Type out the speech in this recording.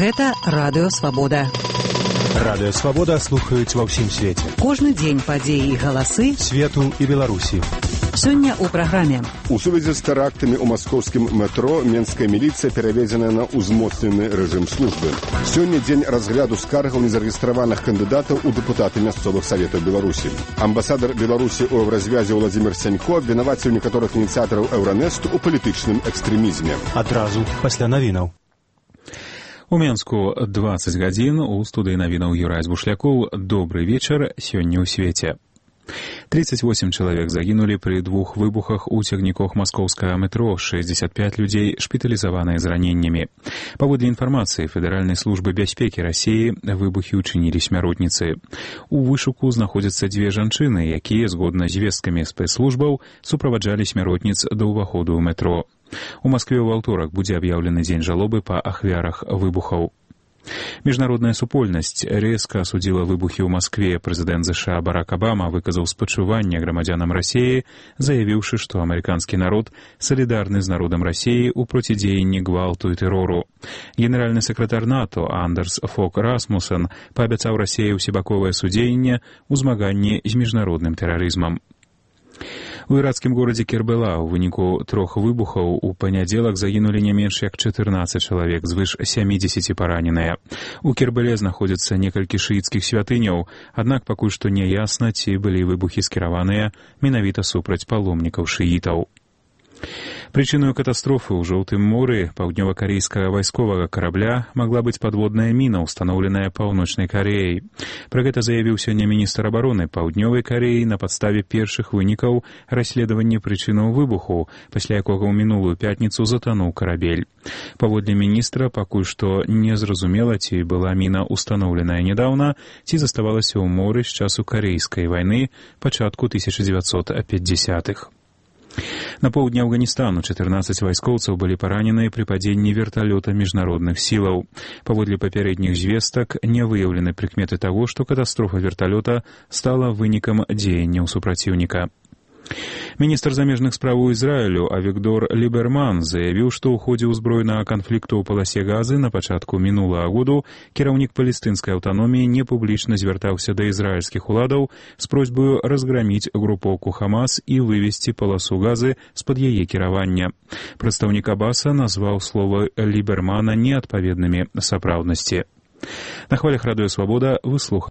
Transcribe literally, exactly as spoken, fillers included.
Гэта Радыё Свабода. Радыё Свабода слухаюць ва ўсім свеце. Кожны дзень падзеі і галасы свету і Беларусі. Сёння ў праграме. У сувязі з тэрактамі ў маскоўскім метро менская міліцыя пераведзена на ўзмоцнены рэжым службы. Сёння дзень разгляду скаргаў незарэгістраваных кандыдатаў у дэпутаты мясцовых саветаў Беларусі. Амбасадар Беларусі ў еўразвязе Владзімір Сянько абвінаваціў некаторых ініцыятараў Еўранэсту ў палітычным экстрэмізме. Адразу пасля навінаў. У Менску дваццаць гадзін, у студыі навінаў Юрай Бушлякоў. Добры вечар, сёння ў свеце. тридцать восемь чалавек загінулі пры двух выбухах у цягніках маскоўскага метро, шэсцьдзесят пять людзей шпіталізаваныя з раненнямі. Паводле інфармацыі Федэральнай службы бяспекі Расіі, выбухі ўчынілі смяротніцы. У вышуку знаходзяцца дзве жанчыны, якія, згодна з звесткамі спецслужбаў, суправаджалі смяротніц да ўваходу ў метро. У Маскве ў аўторак будзе аб'яўлены дзень жалобы па ахвярах выбухаў. Міжнародная супольнасць рэзка асудзіла выбухі ў Маскве. Прэзідэнт ЗША Барак Абама выказаў спачуванне грамадзянам Расіі, заявіўшы, што амерыканскі народ салідарны з народам Расіі ў процідзеянні гвалту і тэрору. Генеральны сакратар НАТО Андерс Фог Расмусен паабяцаў Расіі ўсебаковае судзеянне ў змаганні з міжнародным тэрарызмам. У іракскім горадзе Кербела ў выніку трох выбухаў у панядзелак загінулі не менш як чатырнаццаць чалавек, звыш сямідзесяці параненыя. У Кербеле знаходзяцца некалькі шыіцкіх святыняў, аднак пакуль што не ясна, ці былі выбухі скіраваныя менавіта супраць паломнікаў шыітаў. Прычыною катастрофы ў Жоўтым моры паўднёва-карэйскага вайсковага карабля магла быць падводная міна, устаноўленая Паўночнай Кареяй. Пра гэта заявіў сёння міністр абароны Паўднёвай Кареі на падставе першых вынікаў расследавання прычынаў выбуху, пасля якога ў мінулую пятніцу затануў карабель. Паводле міністра, пакуль што не зразумела, ці была міна устаноўленая нядаўна, ці заставалася ў моры з часу Карэйскай вайны пачатку тысяча дзевяцьсот пятьдесятых. На поўдні Афганістану чатырнаццаць вайскоўцаў былі параненыя пры падзенні верталёта міжнародных сілаў. Паводле папярэдніх звестак не выяўлены прыкметы таго, што катастрофа верталёта стала вынікам дзеянняў супраціўніка. Міністр замежных спраў Ізраілю Авігдор Ліберман заявіў, што ў ходзе ўзброенага канфлікту ў паласе Газы на пачатку мінулага году кіраўнік палестынскай аўтаноміі непублічна звяртаўся да ізраільскіх уладаў з просьбаю разграміць групоўку Хамас і вывесці паласу Газы з-пад яе кіравання. Прадстаўнік Абаса назваў словы Лібермана неадпаведнымі сапраўднасці. На хвалях Радыё Свабода вы слухаеце